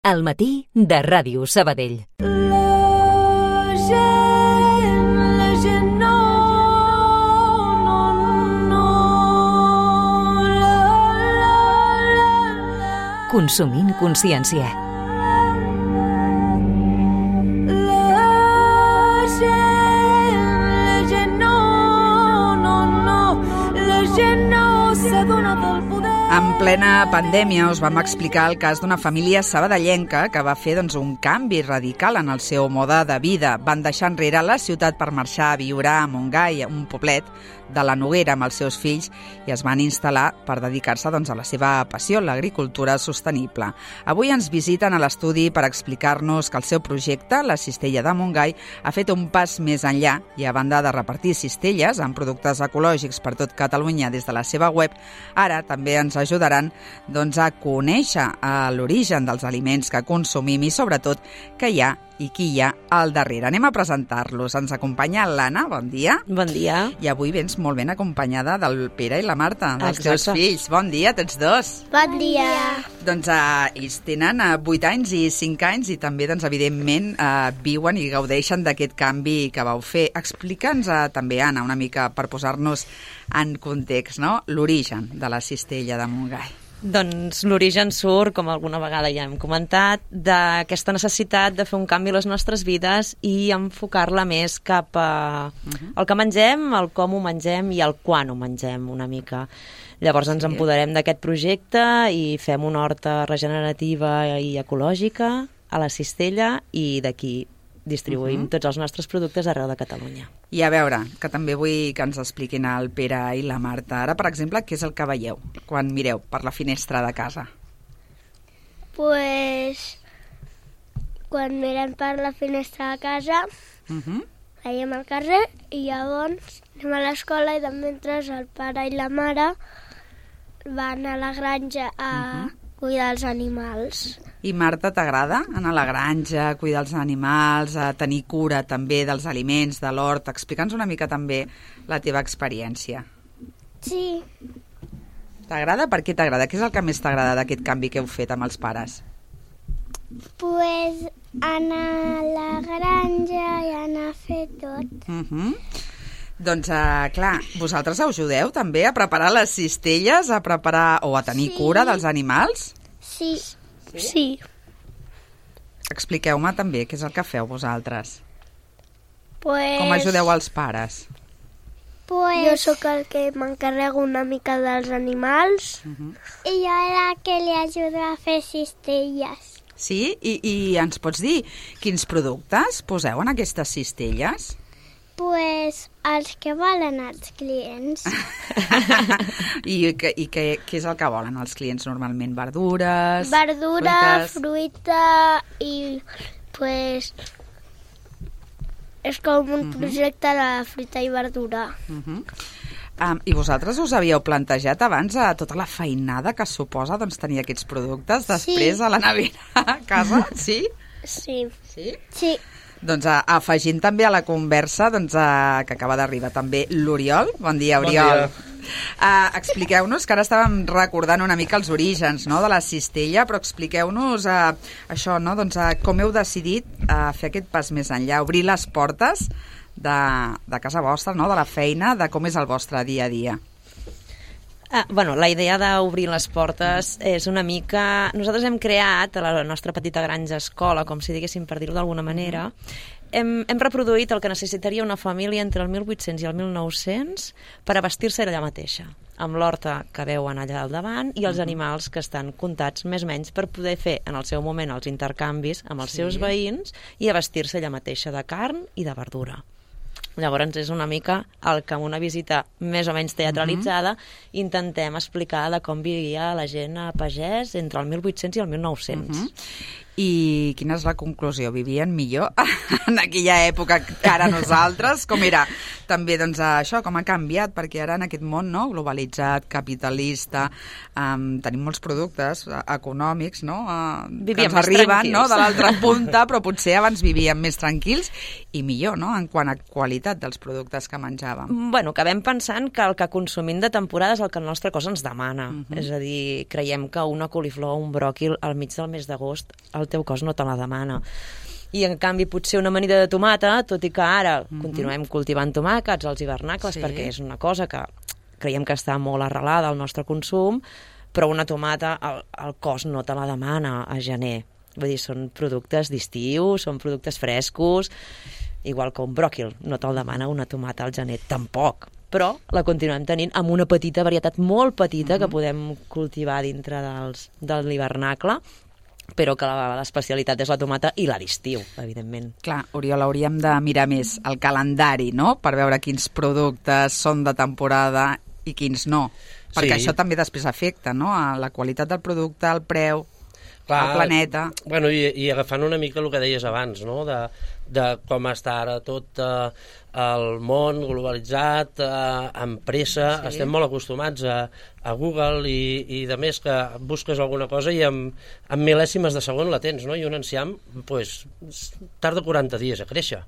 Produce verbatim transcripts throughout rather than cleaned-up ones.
Al matí de Ràdio Sabadell. La gent, la gent no, no, no, la, la, la, la. Consumint consciència. La gent, la gent no, no, no, la gent no s'adona del poder. En plena pandèmia us vam explicar el cas d'una família sabadellenca que va fer doncs, un canvi radical en el seu mode de vida. Van deixar enrere la ciutat per marxar a viure a Montgai, un poblet de la Noguera, amb els seus fills, i es van instal·lar per dedicar-se doncs, a la seva passió, l'agricultura sostenible. Avui ens visiten a l'estudi per explicar-nos que el seu projecte, la Cistella de Montgai, ha fet un pas més enllà i, a banda de repartir cistelles amb productes ecològics per tot Catalunya des de la seva web, ara també ens ajudaran doncs, a conèixer l'origen dels aliments que consumim i, sobretot, que hi ha i qui hi ha al darrere. Anem a presentar-los. Ens acompanya l'Anna, bon dia. Bon dia. I avui vens molt ben acompanyada del Pere i la Marta, dels Exacte. teus fills. Bon dia, tots dos. Bon dia. Doncs eh, ells tenen eh, vuit anys i cinc anys i també, doncs, evidentment, eh, viuen i gaudeixen d'aquest canvi que vau fer. Explica'ns eh, també, Anna, una mica per posar-nos en context, no? L'origen de la Cistella de Montgai. Doncs l'origen surt, com alguna vegada ja hem comentat, d'aquesta necessitat de fer un canvi a les nostres vides i enfocar-la més cap a Uh-huh. el que mengem, el com ho mengem i el quan ho mengem una mica. Llavors ens Sí. empoderem d'aquest projecte i fem una horta regenerativa i ecològica a la Cistella i d'aquí distribuïm Uh-huh. tots els nostres productes arreu de Catalunya. I a veure, que també vull que ens expliquin el Pere i la Marta. Ara, per exemple, què és el que veieu quan mireu per la finestra de casa? Pues, quan mirem per la finestra de casa, Uh-huh. veiem el carrer i llavors anem a l'escola i de mentre el pare i la mare van a la granja a cuidar els animals. I Marta, t'agrada anar a la granja, cuidar els animals, a tenir cura també dels aliments, de l'hort? Explica'ns una mica també la teva experiència. Sí, T'agrada? Per què t'agrada? Què és el que més t'agrada d'aquest canvi que heu fet amb els pares? pues anar a la granja i anar a fer tot. Uh-huh. Doncs, uh, clar, vosaltres ajudeu també a preparar les cistelles, a preparar o a tenir Sí. cura dels animals? Sí, sí. sí. Expliqueu-me també què és el que feu vosaltres. Pues, Com ajudeu els pares? Pues, jo sóc el que m'encarrego una mica dels animals. Uh-huh. I jo la que li ajudo a fer cistelles. Sí? I, I ens pots dir quins productes poseu en aquestes cistelles? Pues els que volen els clients. I, que, i que, què és el que volen els clients normalment? Verdures? Verdura, fruites? fruita i pues és com un projecte de fruita i verdura. Uh-huh. Um, I vosaltres us havíeu plantejat abans a tota la feinada que suposa doncs, tenir aquests productes després Sí. a la nevera a casa? Sí? Sí. Sí? Sí. Doncs a, afegint també a la conversa doncs, a, que acaba d'arribar també l'Oriol. Bon dia, Bon Oriol. dia. Uh, expliqueu-nos, que ara estàvem recordant una mica els orígens, no?, de la cistella, però expliqueu-nos uh, això, no?, doncs, uh, com heu decidit uh, fer aquest pas més enllà, obrir les portes de, de casa vostra, no?, de la feina, de com és el vostre dia a dia. Ah, bueno, la idea d'obrir les portes és una mica... Nosaltres hem creat a la nostra petita granja escola, com si diguéssim, per dir-ho d'alguna manera, hem, hem reproduït el que necessitaria una família entre el mil vuit-cents i el mil nou-cents per abastir-se allà mateixa, amb l'horta que veuen allà al davant i els animals que estan comptats més o menys per poder fer en el seu moment els intercanvis amb els Sí. seus veïns i abastir-se allà mateixa de carn i de verdura. Llavors és una mica el que amb una visita més o menys teatralitzada uh-huh. intentem explicar de com vivia la gent a pagès entre el mil vuit-cents i el mil nou-cents. Uh-huh. I quina és la conclusió? Vivien millor en aquella època que ara nosaltres? Com era també doncs, això, com ha canviat? Perquè ara en aquest món, no?, globalitzat, capitalista, um, tenim molts productes uh, econòmics, no?, uh, que Vivíem ens més arriben, tranquils. no?, de l'altra punta, però potser abans vivíem més tranquils i millor, no?, en quant a qualitat dels productes que menjàvem. Bueno, acabem pensant que el que consumim de temporada és el que el nostre cos ens demana. Uh-huh. És a dir, creiem que una coliflor o un bròquil al mig del mes d'agost els el teu cos no te la demana. I en canvi potser una amanida de tomata, tot i que ara mm-hmm. continuem cultivant tomàquets als hivernacles, sí. perquè és una cosa que creiem que està molt arrelada al nostre consum, però una tomata el, el cos no te la demana a gener. Vull dir, són productes d'estiu, són productes frescos, igual que un bròquil, no te'l demana una tomata al gener, tampoc. Però la continuem tenint amb una petita varietat molt petita mm-hmm. que podem cultivar dintre dels, de l'hivernacle, però que l'especialitat és la tomata i la d'estiu, evidentment. Clar, Oriol, hauríem de mirar més el calendari, no?, per veure quins productes són de temporada i quins no, perquè sí. això també després afecta, no?, a la qualitat del producte, el preu, Clar, el planeta... Bueno, i, i agafant una mica el que deies abans, no?, de, de com està ara tot eh, el món globalitzat, eh, amb pressa, sí. estem molt acostumats a, a Google i, i de més que busques alguna cosa i amb, amb mil·lèsimes de segon la tens, no?, i un enciam pues, tarda quaranta dies a créixer.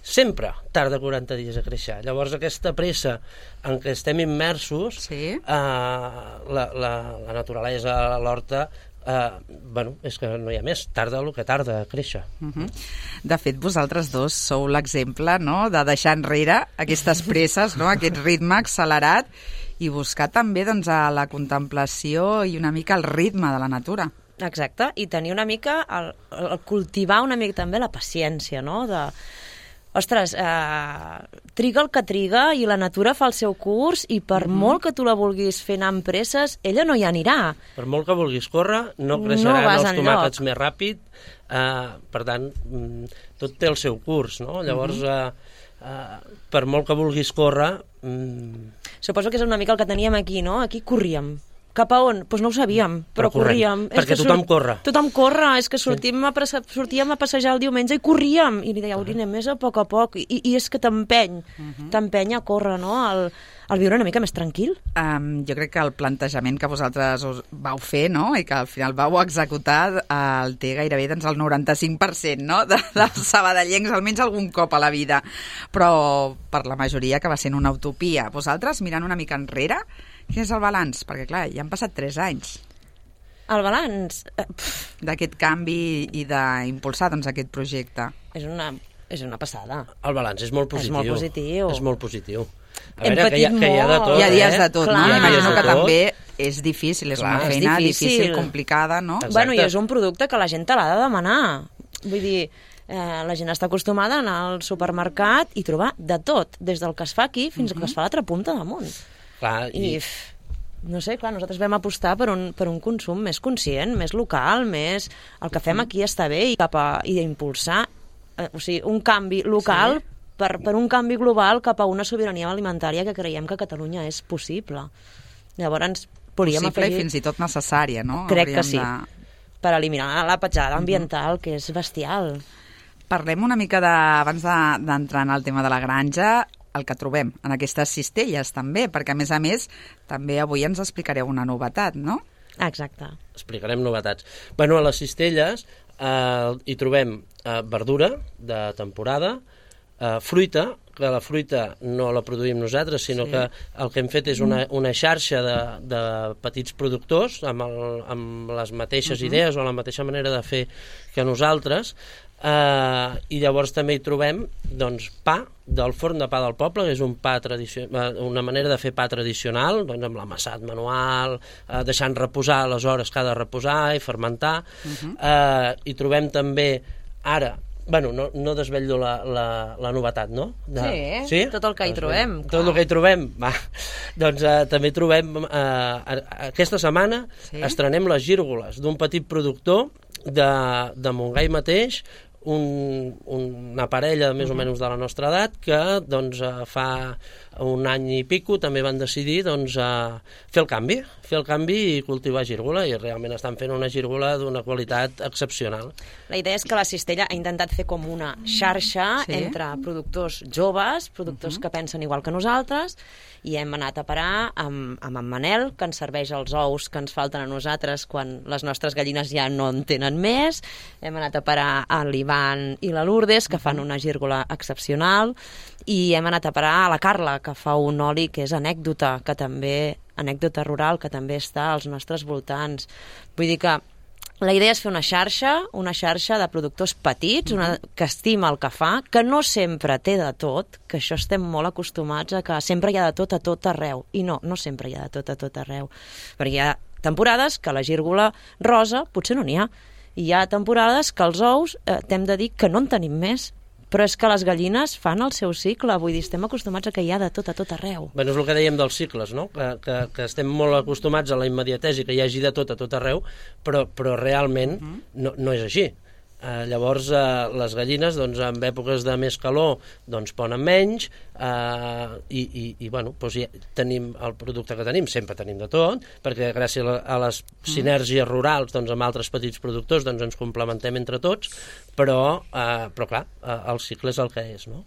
Sempre tarda quaranta dies a créixer. Llavors aquesta pressa en què estem immersos, sí. eh, la, la, la naturalesa, l'horta, Uh, bueno, és que no hi ha més, tarda el que tarda a créixer. Uh-huh. De fet, vosaltres dos sou l'exemple, no?, de deixar enrere aquestes presses, no?, aquest ritme accelerat i buscar també doncs, a la contemplació i una mica el ritme de la natura. Exacte, i tenir una mica, el, el cultivar una mica també la paciència, no?, de... Ostres, eh, triga el que triga i la natura fa el seu curs i per mm-hmm. molt que tu la vulguis fer anar amb presses, ella no hi anirà. Per molt que vulguis córrer, no creixeran no els tomàquets més ràpid, eh, per tant, tot té el seu curs, no? Llavors, mm-hmm. eh, eh, per molt que vulguis córrer... Mm... Suposo que és una mica el que teníem aquí, no? Aquí corríem. Cap a on? Doncs pues no ho sabíem, però, però corríem. Perquè és que tothom surt... corre. Tothom corre, és que sortim a presa... sortíem a passejar el diumenge i corríem. I li deia, Aurina, més a poc a poc. I, i és que t'empeny, uh-huh. t'empeny a córrer, no?, el, el viure una mica més tranquil. Um, jo crec que el plantejament que vosaltres us vau fer, no?, i que al final vau executar, el té gairebé doncs, el noranta-cinc per cent, no?, de, dels sabadellencs, almenys algun cop a la vida. Però per la majoria que va sent una utopia. Vosaltres, mirant una mica enrere, quin és el balanç? Perquè, clar, ja han passat tres anys. El balanç? D'aquest canvi i d'impulsar doncs, aquest projecte. És una, és una passada. El balanç és molt positiu. És molt positiu. És molt positiu. A Hem veure, que hi, ha, que hi ha de tot, Hi ha dies eh? de tot, Clar. no? Imagino que tot. també és difícil, és Clar, una feina és difícil. difícil, complicada, no? Exacte. Bueno, i és un producte que la gent te l'ha de demanar. Vull dir, eh, la gent està acostumada a anar al supermercat i trobar de tot, des del que es fa aquí fins uh-huh. al que es fa a l'altra punta damunt. Clar, i... I, no sé, clar, nosaltres vam apostar per un, per un consum més conscient, més local, més... El que fem aquí està bé i cap a i impulsar, eh, o sigui, un canvi local sí. per, per un canvi global cap a una sobirania alimentària que creiem que a Catalunya és possible. Llavors, volíem possible afegir... i fins i tot necessària, no? Crec Hauríem que sí, de... per eliminar la petjada ambiental, mm-hmm. que és bestial. Parlem una mica de, abans d'entrar de, en el tema de la granja, el que trobem en aquestes cistelles també, perquè a més a més també avui ens explicareu una novetat, no? Exacte. Explicarem novetats. Bueno, a les cistelles eh, hi trobem eh, verdura de temporada, eh, fruita, que la fruita no la produïm nosaltres, sinó sí. que el que hem fet és una, una xarxa de, de petits productors amb, el, amb les mateixes uh-huh. idees o la mateixa manera de fer que nosaltres, Uh, i llavors també hi trobem doncs, pa del forn de pa del poble, que és un pa tradicional, una manera de fer pa tradicional, doncs, amb l'amassat manual, uh, deixant reposar les hores que ha de reposar i fermentar. Uh-huh. uh, hi trobem també ara, bueno, no, no desvetllo la, la, la novetat, no? De, sí, sí, tot el que hi trobem. Tot clar. el que hi trobem, va. Doncs uh, també trobem, uh, aquesta setmana sí? estrenem les gírgoles d'un petit productor de, de Montgai mateix, Un, una parella més o menys de la nostra edat que doncs, fa un any i pico també van decidir doncs, fer el canvi, fer el canvi i cultivar gírgola, i realment estan fent una gírgola d'una qualitat excepcional. La idea és que la cistella ha intentat fer com una xarxa sí. entre productors joves, productors uh-huh. que pensen igual que nosaltres, i hem anat a parar amb, amb en Manel, que ens serveix els ous que ens falten a nosaltres quan les nostres gallines ja no en tenen més. Hem anat a parar a l'Ivan i la Lourdes, que fan una gírgola excepcional, i hem anat a parar a la Carla, que fa un oli que és anècdota, que també anècdota rural, que també està als nostres voltants. Vull dir que La idea és fer una xarxa, una xarxa de productors petits, una, que estima el que fa, que no sempre té de tot, que això estem molt acostumats a que sempre hi ha de tot a tot arreu. I no, no sempre hi ha de tot a tot arreu. Perquè hi ha temporades que la gírgola rosa potser no n'hi ha. I hi ha temporades que els ous eh, t'hem de dir que no en tenim més. Però és que les gallines fan el seu cicle, vull dir, estem acostumats a que hi ha de tot a tot arreu. Bé, és el que dèiem dels cicles, no? Que, que, que estem molt acostumats a la immediatesa i que hi hagi de tot a tot arreu, però, però realment uh-huh. no, no és així. Uh, llavors, uh, les gallines, doncs, en èpoques de més calor, doncs, ponen menys, uh, i, i, i bueno, doncs ja tenim el producte que tenim, sempre tenim de tot, perquè gràcies a, a les sinergies rurals, doncs, amb altres petits productors, doncs, ens complementem entre tots, però, uh, però clar, uh, el cicle és el que és, no?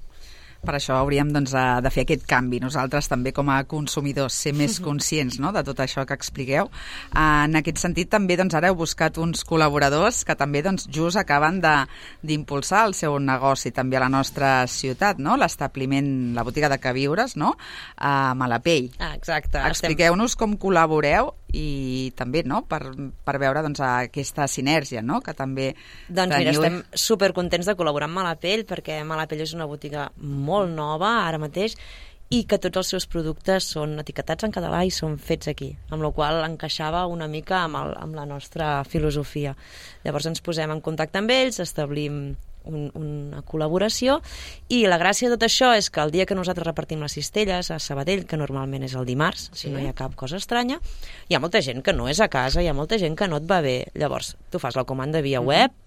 Per això hauríem doncs, de fer aquest canvi. Nosaltres també com a consumidors ser més conscients, no?, de tot això que expliqueu. En aquest sentit també doncs, ara heu buscat uns col·laboradors que també doncs, just acaben d'impulsar el seu negoci també a la nostra ciutat, no?, l'establiment, la botiga de queviures, no?, a Malapell. Ah, exacte. Expliqueu-nos com col·laboreu i també, no?, per, per veure doncs, aquesta sinergia, no?, que també doncs teniu... mira, estem supercontents de col·laborar amb Malapell, perquè Malapell és una botiga molt nova ara mateix i que tots els seus productes són etiquetats en català i són fets aquí, amb la qual encaixava una mica amb, el, amb la nostra filosofia. Llavors ens posem en contacte amb ells, establim un, una col·laboració, i la gràcia de tot això és que el dia que nosaltres repartim les cistelles a Sabadell, que normalment és el dimarts, si no hi ha cap cosa estranya, hi ha molta gent que no és a casa, hi ha molta gent que no et va bé. Llavors, tu fas la comanda via web,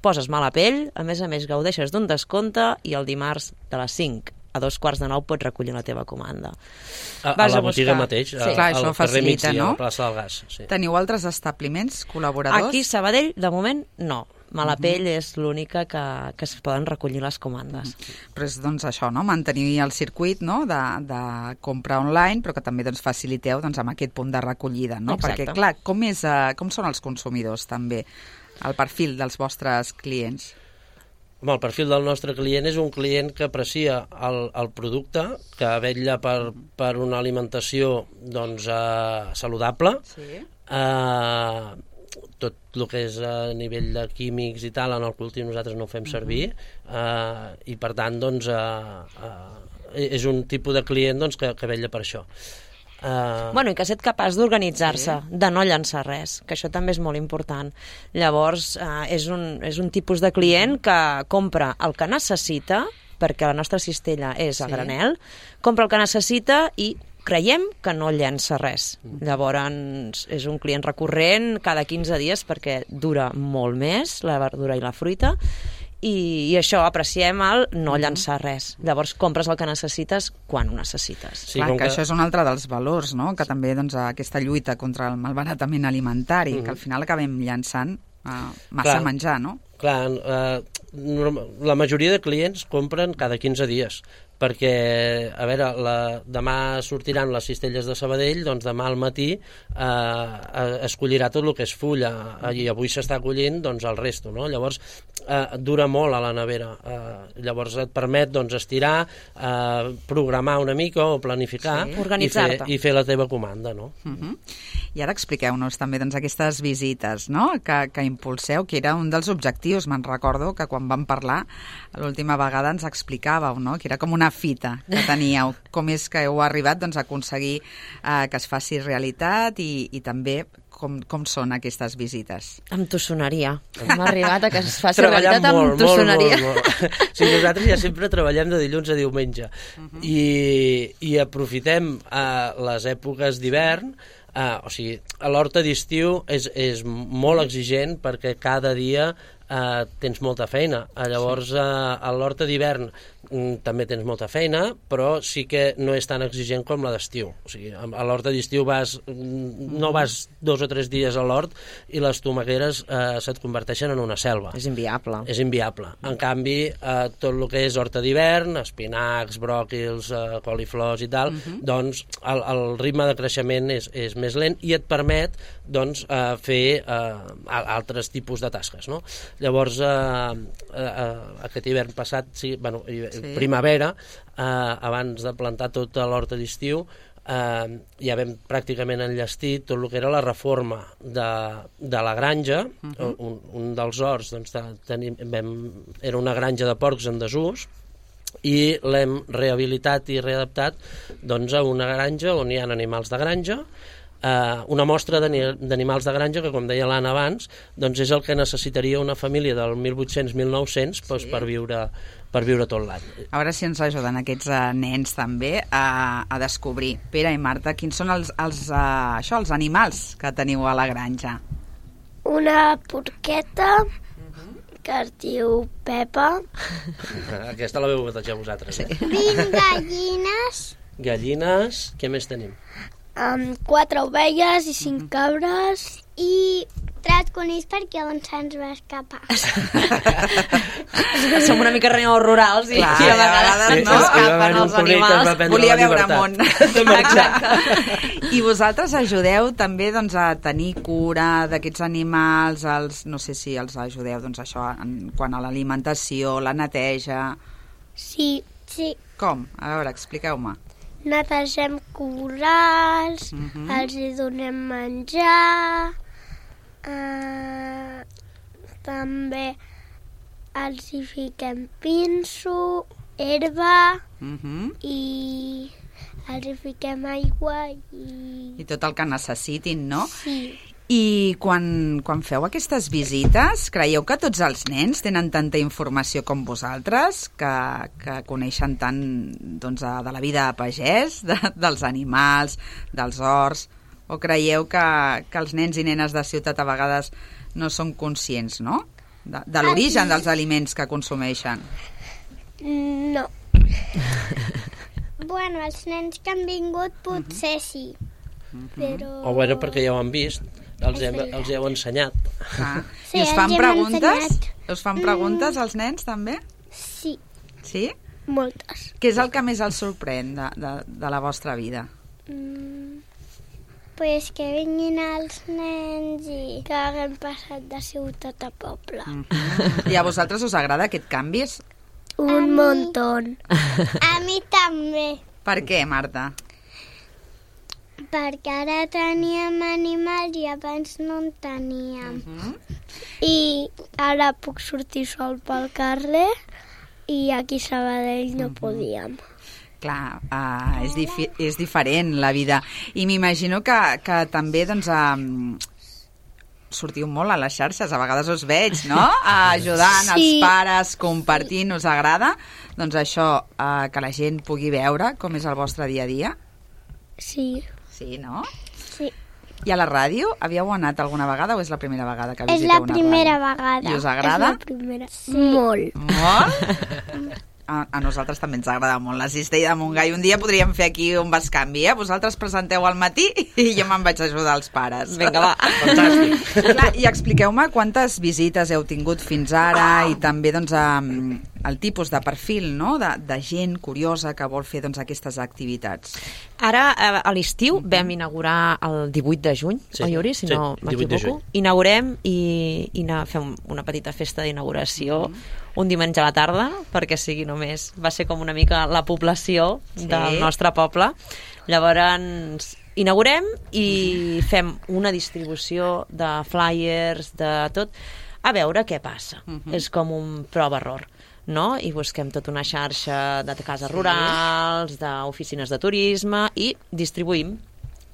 poses Malapell, a més a més gaudeixes d'un descompte i el dimarts de les cinc a dos quarts de nou pots recollir la teva comanda. A, a la botiga mateix, sí. a, Clar, al això carrer facilita, Migdia, no? a la plaça del Gas. Sí. Teniu altres establiments col·laboradors? Aquí, Sabadell, de moment, no. Malapell uh-huh. és l'única que, que es poden recollir les comandes. Uh-huh. Però és doncs, això, no? Mantenir el circuit, no?, de, de compra online, però que també doncs, faciliteu doncs, amb aquest punt de recollida, no? Exacte. Perquè, clar, com, és, uh, com són els consumidors, també, el perfil dels vostres clients? Home, el perfil del nostre client és un client que aprecia el, el producte, que vetlla per, per una alimentació doncs, eh, saludable, sí. eh, tot el que és a nivell de químics i tal, en el cultiu nosaltres no ho fem servir, eh, i per tant doncs, eh, eh, és un tipus de client doncs, que, que vetlla per això. Uh... Bueno, i que ha estat capaç d'organitzar-se, sí. de no llançar res, que això també és molt important. Llavors, uh, és, un, és un tipus de client que compra el que necessita, perquè la nostra cistella és a sí. granel, compra el que necessita i creiem que no llença res. Mm. Llavors, és un client recurrent cada quinze dies perquè dura molt més, la verdura i la fruita, I, i això, apreciem el no llançar res. Llavors compres el que necessites quan ho necessites. Sí, clar, que, que això és un altre dels valors, no?, que també doncs, aquesta lluita contra el malbaratament alimentari, mm-hmm. que al final acabem llançant uh, massa clar, menjar, no? Clar, uh, la majoria de clients compren cada quinze dies, perquè, a veure, la, demà sortiran les cistelles de Sabadell, doncs demà al matí eh, es collirà tot el que és fulla, i avui s'està collint doncs, el resto, no? Llavors, eh, dura molt a la nevera. Eh, llavors et permet doncs, estirar, eh, programar una mica o planificar sí. i, fer, i fer la teva comanda, no? Uh-huh. I ara expliqueu-nos també doncs, aquestes visites, no?, que, que impulseu, que era un dels objectius. Me'n recordo que quan vam parlar l'última vegada ens explicàveu, no?, que era com una fita que teníeu. Com és que heu arribat doncs, a aconseguir eh, que es faci realitat i, i també com, com són aquestes visites? Amb tossoneria. Hem arribat a que es faci realitat amb molt, tossoneria. Molt, molt, molt. Sí, nosaltres ja sempre treballem de dilluns a diumenge uh-huh. i, i aprofitem eh, les èpoques d'hivern. Uh, o sigui, a l'horta d'estiu és, és molt exigent perquè cada dia uh, tens molta feina. Uh, llavors, uh, a l'horta d'hivern um, també tens molta feina, però sí que no és tan exigent com la d'estiu. O sigui, a l'horta d'estiu vas, no vas dos o tres dies a l'hort i les tomaqueres uh, se't converteixen en una selva. És inviable. És inviable. En canvi, uh, tot el que és horta d'hivern, espinacs, bròquils, uh, coliflors i tal, uh-huh. doncs el, el ritme de creixement és, és més lent i et permet doncs, eh, fer eh, altres tipus de tasques, no? Llavors, eh, eh, aquest hivern passat, sí, bueno, sí. primavera, eh, abans de plantar tota l'horta d'estiu, eh, ja vam pràcticament enllestit tot el que era la reforma de, de la granja. Uh-huh. un, un dels horts doncs, de, tenim, vam, era una granja de porcs en desús, i l'hem rehabilitat i readaptat doncs, a una granja on hi ha animals de granja, eh, una mostra d'animals de granja que, com deia l'Anna abans, doncs és el que necessitaria una família del mil vuit-cents mil nou-cents doncs, sí. per, viure, per viure tot l'any. A veure si ens ajuden aquests uh, nens també a, a descobrir. Pere i Marta, quins són els, els, uh, això, els animals que teniu a la granja? Una porqueta que es diu Pepa. Aquesta la veu batejar vosaltres. Eh? Sí. vint gallines. Gallines, què més tenim? Um, quatre ovelles i cinc cabres. I tres conills perquè un se'ns va escapar. Som una mica renyors rurals i, Clar, i a vegades sí, no escapen els animals. Volia veure món. Exacte. I vosaltres ajudeu també doncs, a tenir cura d'aquests animals, els, no sé si els ajudeu doncs, això, en, quan a l'alimentació, la neteja... Sí, sí. Com? A veure, expliqueu-me. Netegem corrals, uh-huh. els hi donem menjar, uh, també els hi fiquem pinso, herba, uh-huh. i els hi fiquem aigua i... I tot el que necessitin, no? Sí. I quan, quan feu aquestes visites, creieu que tots els nens tenen tanta informació com vosaltres, que, que coneixen tant doncs, de la vida a pagès, de, dels animals, dels horts, o creieu que, que els nens i nenes de ciutat a vegades no són conscients, no? De, de l'origen dels aliments que consumeixen? No. Bueno, els nens que han vingut potser sí, però... O bueno, perquè ja ho han vist. Els, hem, els heu ensenyat. Ah. Sí, I us fan els hem preguntes? ensenyat. Us fan preguntes als nens, també? Sí, Sí? moltes. Què és el que més els sorprèn de, de, de la vostra vida? Mm, pues que vinguin els nens i que haguem passat de ciutat a poble. Mm. I a vosaltres us agrada aquest canvi? Un montón. A mi també. Per què, Marta? Perquè ara teníem animals i abans no en teníem. Uh-huh. I ara puc sortir sol pel carrer i aquí a Sabadell no uh-huh. podíem. Clar, uh, és, difi és diferent la vida. I m'imagino que, que també doncs, um, sortiu molt a les xarxes, a vegades us veig, no? Ajudant sí. els pares, compartint, us agrada? Doncs això, uh, que la gent pugui veure com és el vostre dia a dia? Sí. Sí, no? Sí. I a la ràdio? Havíeu anat alguna vegada o és la primera vegada que És visiteu la una primera ràdio? vegada. I us agrada? És la primera. Sí. Molt. Molt? A, a nosaltres també ens agrada molt la Cistella de Montgai. Un dia podríem fer aquí un bescanvi, eh? Vosaltres presenteu al matí i jo me'n vaig ajudar els pares. Vinga, va. Fantàstic. Clar, i expliqueu-me quantes visites heu tingut fins ara i també doncs, el tipus de perfil, no? de, de gent curiosa que vol fer doncs, aquestes activitats. Ara, a l'estiu, uh-huh. vam inaugurar el divuit de juny, sí, oi, Uri? Si sí, no m'equivoco. Inaugurem i, i fem una petita festa d'inauguració uh-huh. un diumenge a la tarda, perquè sigui només... Va ser com una mica la població sí. del nostre poble. Llavors, inaugurem i fem una distribució de flyers, de tot, a veure què passa. Uh-huh. És com un prova-error, no? I busquem tota una xarxa de cases sí. rurals, d'oficines de turisme i distribuïm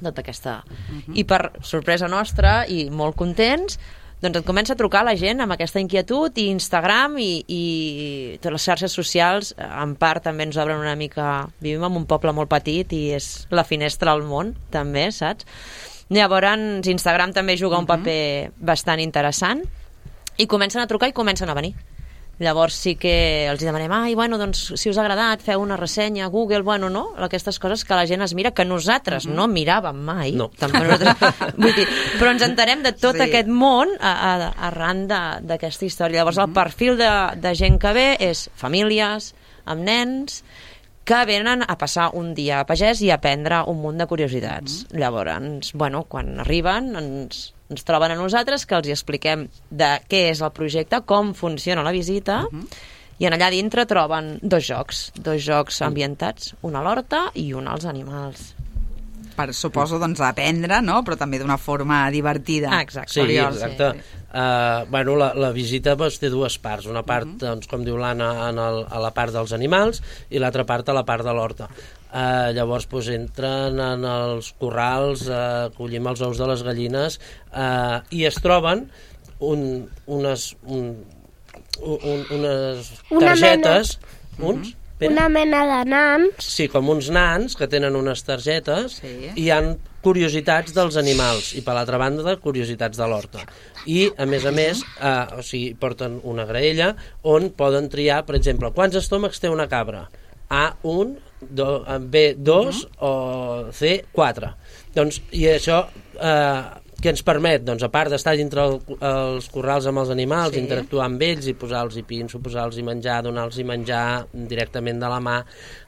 tota aquesta... Uh-huh. I per sorpresa nostra, i molt contents, doncs et comença a trucar la gent amb aquesta inquietud i Instagram i, i totes les xarxes socials, en part també ens obren una mica... Vivim en un poble molt petit i és la finestra al món, també, saps? Llavors, Instagram també juga un paper bastant interessant i comencen a trucar i comencen a venir. Llavors sí que els demanem, ai, bueno, doncs, si us ha agradat, feu una ressenya a Google, bueno, no? Aquestes coses que la gent es mira, que nosaltres uh-huh. no miràvem mai. No. Tampoc nosaltres, vull dir, però ens entenem de tot sí. aquest món a, a, arran d'aquesta història. Llavors uh-huh. el perfil de, de gent que ve és famílies, amb nens, que venen a passar un dia a pagès i a aprendre un munt de curiositats. Uh-huh. Llavors, bueno, quan arriben, ens... ens troben a nosaltres, que els hi expliquem de què és el projecte, com funciona la visita, uh-huh. i en allà dintre troben dos jocs, dos jocs ambientats, un a l'horta i un als animals. per, suposo, doncs, aprendre, no? Però també d'una forma divertida. Ah, exacte. Sí, Oriol, exacte. sí, sí. Uh, bueno, la, la visita doncs, té dues parts. Una part, uh -huh. doncs, com diu l'Anna, en el, a la part dels animals i l'altra part a la part de l'horta. Uh, llavors doncs, entren en els corrals, uh, collim els ous de les gallines uh, i es troben un, unes, un, un, unes Una targetes... mena. Uns? Pere? Una mena de nans. Sí, com uns nans que tenen unes targetes Sí. i hi han curiositats dels animals i per l'altra banda curiositats de l'horta. I a més a més eh, o sigui, porten una graella on poden triar, per exemple, quants estómacs té una cabra? A un, do, B dos uh -huh. o C quatre. Doncs, i això eh, què ens permet? Doncs a part d'estar dintre el, els corrals amb els animals, Sí. interactuar amb ells i posar-los pinso, posar-los menjar, donar-los menjar directament de la mà,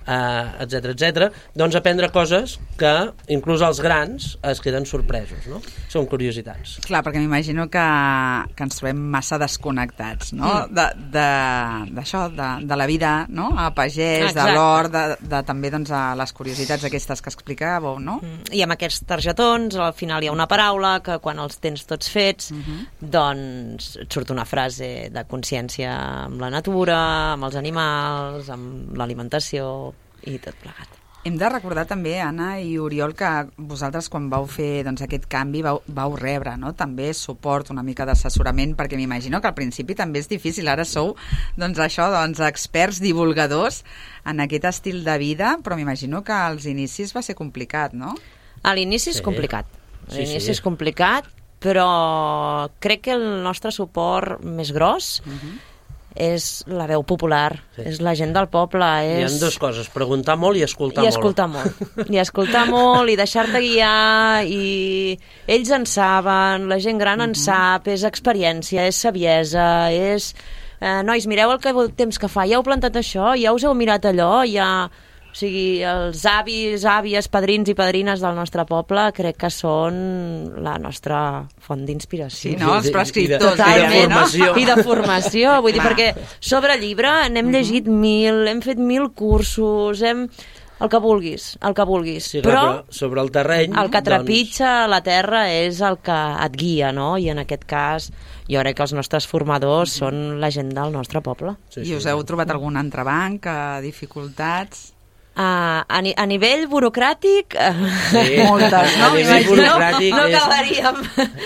eh, etcètera, etcètera, doncs aprendre coses que inclús els grans es queden sorpresos, no? Són curiositats. Clar, perquè m'imagino que, que ens trobem massa desconnectats, no? Mm. D'això, de, de, de, de la vida, no? A pagès, Exacte. de l'hort, de, de també doncs, a les curiositats aquestes que explicàveu, no? I amb aquests targetons, al final hi ha una paraula que quan els tens tots fets, Mhm. doncs et surt una frase de consciència amb la natura, amb els animals, amb l'alimentació i tot plegat. Hem de recordar també, Anna i Oriol, que vosaltres quan vau fer doncs, aquest canvi vau, vau rebre, no? També suport, una mica d'assessorament, perquè m'imagino que al principi també és difícil. Ara sou doncs, això, doncs, experts divulgadors en aquest estil de vida, però m'imagino que als inicis va ser complicat, no? A l'inici és Sí. complicat. A Sí, l'inici sí. és complicat, però crec que el nostre suport més gros Uh-huh. és la veu popular, Sí. és la gent del poble. Hi És... ha dues coses, preguntar molt i escoltar I molt. escoltar molt. I escoltar molt, i deixar-te guiar, i ells en saben, la gent gran en sap, és experiència, és saviesa, és... Eh, nois, mireu el que temps que fa, ja heu plantat això, ja us heu mirat allò, ja... O sigui, els avis, àvies, padrins i padrines del nostre poble crec que són la nostra font d'inspiració. Sí, no? Els I de- prescriptors, i de gairebé, no? formació. I de formació, vull dir, Clar. perquè sobre llibre n'hem llegit mil, hem fet mil cursos, hem... el que vulguis, el que vulguis. Sí, clar, però però sobre el terreny... el que doncs, trepitja la terra és el que et guia, no? I en aquest cas, jo crec que els nostres formadors són la gent del nostre poble. sí, I sí. us heu trobat algun entrebanc, eh, dificultats? Uh, a, ni, a nivell burocràtic Sí. Moltes, no? A nivell M'imagino. burocràtic no és- acabaríem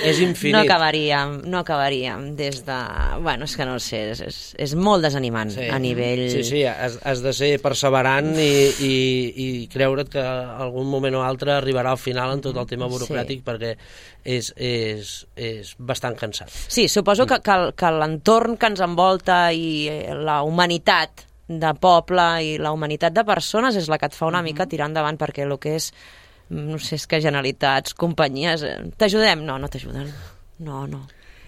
és infinit. no acabaríem, no acabaríem des de, bueno, és que no ho sé, és, és, és molt desanimant Sí. a nivell Sí, sí, has, has de ser perseverant i, i, i creure't que algun moment o altre arribarà al final en tot el tema burocràtic, Sí. perquè és, és, és bastant cansat. Sí, suposo que, que, que l'entorn que ens envolta i eh, la humanitat de poble i la humanitat de persones és la que et fa una mica tirar endavant, perquè el que és, no sé, és que Generalitats, companyies, eh, t'ajudem? No, no t'ajuden. No, no.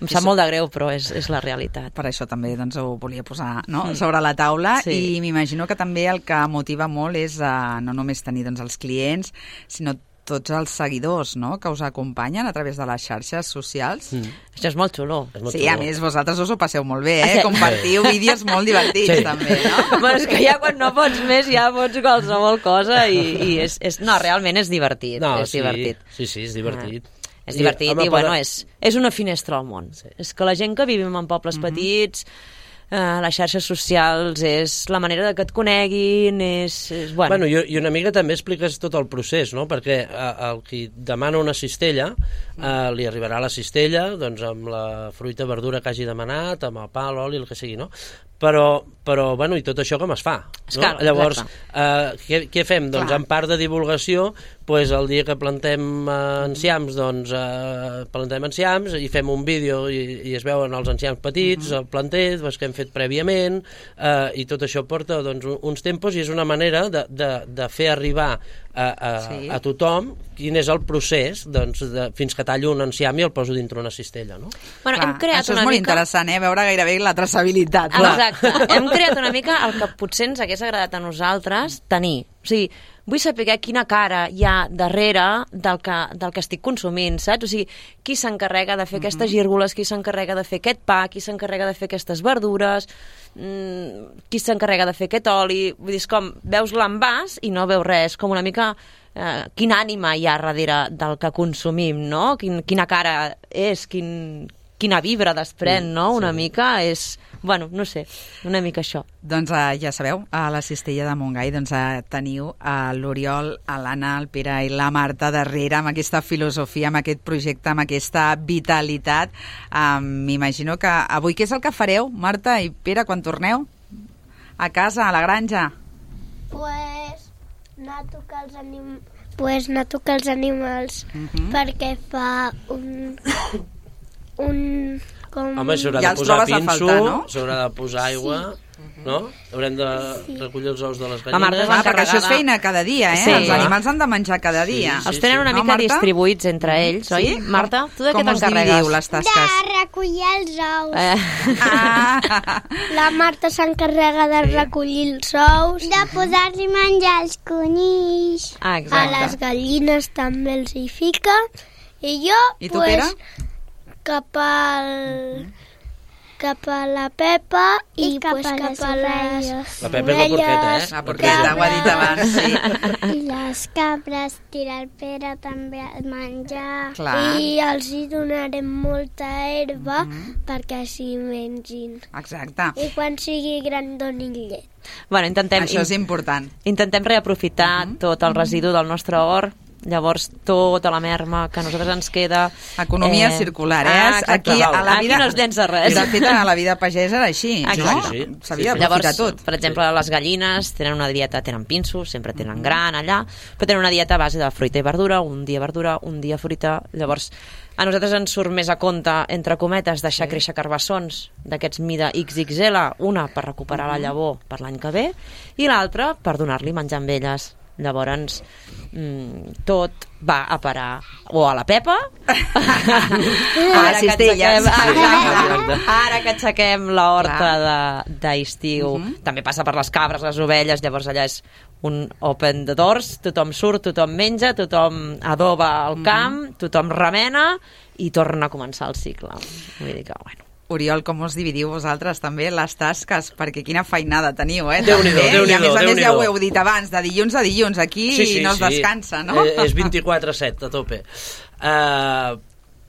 Em sap molt de greu, però és, és la realitat. Per això també doncs, ho volia posar, no? sobre la taula, Sí. i m'imagino que també el que motiva molt és uh, no només tenir doncs, els clients, sinó tots els seguidors, no?, que us acompanyen a través de les xarxes socials. Mm. Això és molt xulo. És molt Sí, xulo. a més, vosaltres us ho passeu molt bé, Ah, eh? sí. Compartiu vídeos molt divertits, Sí. també, no? Bueno, és que ja quan no pots més ja pots qualsevol cosa i, i és, és... No, realment és divertit. No, és sí, divertit. sí, sí, és divertit. Ah, és divertit i, home, bueno, per- és, és una finestra al món. Sí. És que la gent que vivim en pobles petits, eh, les xarxes socials, és la manera de que et coneguin, és... és bueno, Bueno, i, i una mica també expliques tot el procés, no? Perquè eh, el qui demana una cistella, eh, li arribarà la cistella doncs, amb la fruita, verdura que hagi demanat, amb el pa, l'oli, el que sigui, no? Però, però bueno, i tot això com es fa? No? Esclar, Llavors, exacte. eh, què, què fem? Doncs Clar. en part de divulgació, pues, el dia que plantem eh, enciams, doncs eh, plantem enciams i fem un vídeo i, i es veuen els enciams petits, el planter, doncs, que hem fet prèviament, eh, i tot això porta doncs, un- uns tempos i és una manera de, de, de fer arribar a, a, Sí. a tothom quin és el procés doncs, de, fins que tallo un enciam i el poso dintre una cistella, no? bueno, Clar, hem creat això és una molt mica... interessant, eh? Veure gairebé la traçabilitat. Exacte. Hem creat una mica el que potser ens hagués agradat a nosaltres tenir. O sigui, vull saber quina cara hi ha darrere del que, del que estic consumint, saps? O sigui, qui s'encarrega de fer mm-hmm. aquestes gírgoles, qui s'encarrega de fer aquest pa, qui s'encarrega de fer aquestes verdures, mmm, qui s'encarrega de fer aquest oli... Vull dir, és com, veus l'envàs i no veus res, com una mica... Eh, quina ànima hi ha darrere del que consumim, no? Quin, quina cara és, quin, quina vibra desprèn, no? Una sí. mica és... Bueno, no sé, una mica això. Doncs uh, ja sabeu, a la Cistella de Montgai doncs, uh, teniu uh, l'Oriol, l'Anna, el Pere i la Marta darrere amb aquesta filosofia, amb aquest projecte, amb aquesta vitalitat. Uh, M'imagino que avui què és el que fareu, Marta i Pere, quan torneu? A casa, a la granja? Pues... anar a tocar els anim... pues anar a tocar els animals uh-huh. perquè fa un... un... com... Home, s'haurà ja de posar pinso, faltar, no? s'haurà de posar aigua... Sí. No? Haurem de sí. recollir els ous de les gallines. Ah, perquè això és feina cada dia, eh? Sí. Els animals han de menjar cada dia. Sí, sí, els tenen una no, mica Marta? distribuïts entre ells, oi? Sí? Marta, tu de com què t'encarregues? Com us dividiu les tasques? De recollir els ous. Eh. Ah. La Marta s'encarrega de Sí. recollir els ous. De posar-li menjar als conills. Ah, A exacte. les gallines també els hi fica. I jo, I tu, pues, Pere? cap al... cap a la Pepa i, I cap, pues, a cap a les La Pepa és la porqueta, eh? La porqueta, ho ha dit abans, sí. I les cabres, tirar el Pere també a menjar. Clar. I els hi donarem molta herba mm-hmm. perquè així mengin. Exacte. I quan sigui gran donin llet. Bueno, intentem, Això és important. intentem reaprofitar uh-huh. tot el residu del nostre hort. Llavors, tota la merma que a nosaltres ens queda... Economia eh... circular, eh? Ah, aquí, a la vida... aquí no es llença res. De fet, a la vida pagesa era així, Exacte. no? Sí, S'havia sí, sí. d'aprofitar Llavors, tot. per exemple, les gallines tenen una dieta, tenen pinsos, sempre tenen gran allà, però tenen una dieta a base de fruita i verdura, un dia verdura, un dia fruita. Llavors, a nosaltres ens surt més a compte, entre cometes, deixar créixer carbassons d'aquests mida ics ics ele, una per recuperar la llavor per l'any que ve, i l'altra per donar-li menjar amb elles. Llavors, mm, tot va a parar o a la Pepa A les cistelles. Ara, ara que aixequem la horta de- d'estiu, Uh-huh. també passa per les cabres, les ovelles, llavors allà és un open the doors, tothom surt, tothom menja, tothom adoba el camp, tothom remena i torna a començar el cicle. Vull dir que, bueno, Oriol, com us dividiu vosaltres també les tasques? Perquè quina feinada teniu, eh? Déu-n'hi-do, També. Déu-n'hi-do, I a més a més ja Déu-n'hi-do. ho heu dit abans, de dilluns a dilluns, aquí Sí, sí, no es sí. descansa, no? Eh, és vint-i-quatre set, a tope. Uh,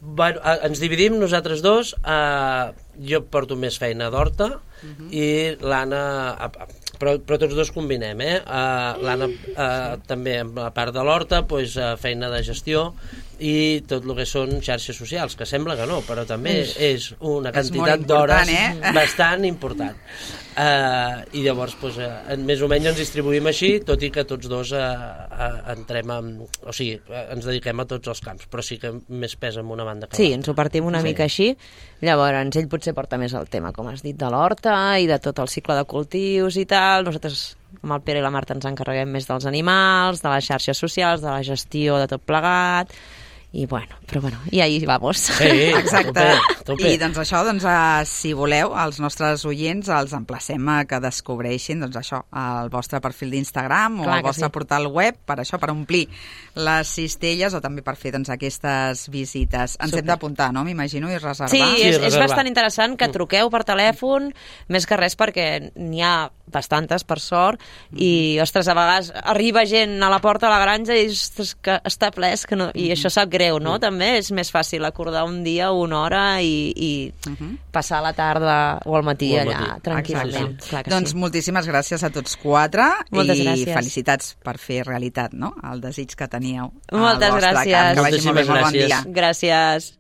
bueno, uh, ens dividim nosaltres dos. Uh, jo porto més feina d'horta uh-huh. i l'Anna... Uh, però, però tots dos combinem, eh? Uh, L'Anna uh, també, a part de l'horta, pues, uh, feina de gestió i tot el que són xarxes socials, que sembla que no, però també és una quantitat d'hores eh? bastant important. Uh, I llavors, pues, uh, més o menys ens distribuïm així, tot i que tots dos uh, uh, entrem amb, o sigui, uh, ens dediquem a tots els camps, però sí que més pesa en una banda que sí, l'altra. ens ho partim una Sí. mica així. Llavors, ell potser porta més el tema, com has dit, de l'horta i de tot el cicle de cultius i tal. Nosaltres, amb el Pere i la Marta, ens encarreguem més dels animals, de les xarxes socials, de la gestió de tot plegat. I bueno, però bueno, i ahí vamos. Sí, Exacte. a tope, a tope. I doncs això, doncs, uh, si voleu, els nostres oients els emplacem a que descobreixin doncs això, el vostre perfil d'Instagram o Clar el que vostre sí. portal web, per això, per omplir les cistelles o també per fer doncs, aquestes visites. Ens Super. hem d'apuntar, no? M'imagino, i reservar. Sí, Sí, és, és reservar. bastant interessant que truqueu per telèfon, més que res perquè n'hi ha bastantes, per sort, i, ostres, a vegades arriba gent a la porta de la granja i ostres, que està ple, és que no... i això sap greu, no? També és més fàcil acordar un dia, una hora i, i passar la tarda o al matí O al allà, matí. tranquil·lament. Exacte. Clar que Doncs sí. moltíssimes gràcies a tots quatre Moltes i gràcies. felicitats per fer realitat, no?, el desig que teníeu al Moltes vostre gràcies. camp. Que vagi molt bé, Moltíssimes molt bon gràcies. dia. Gràcies.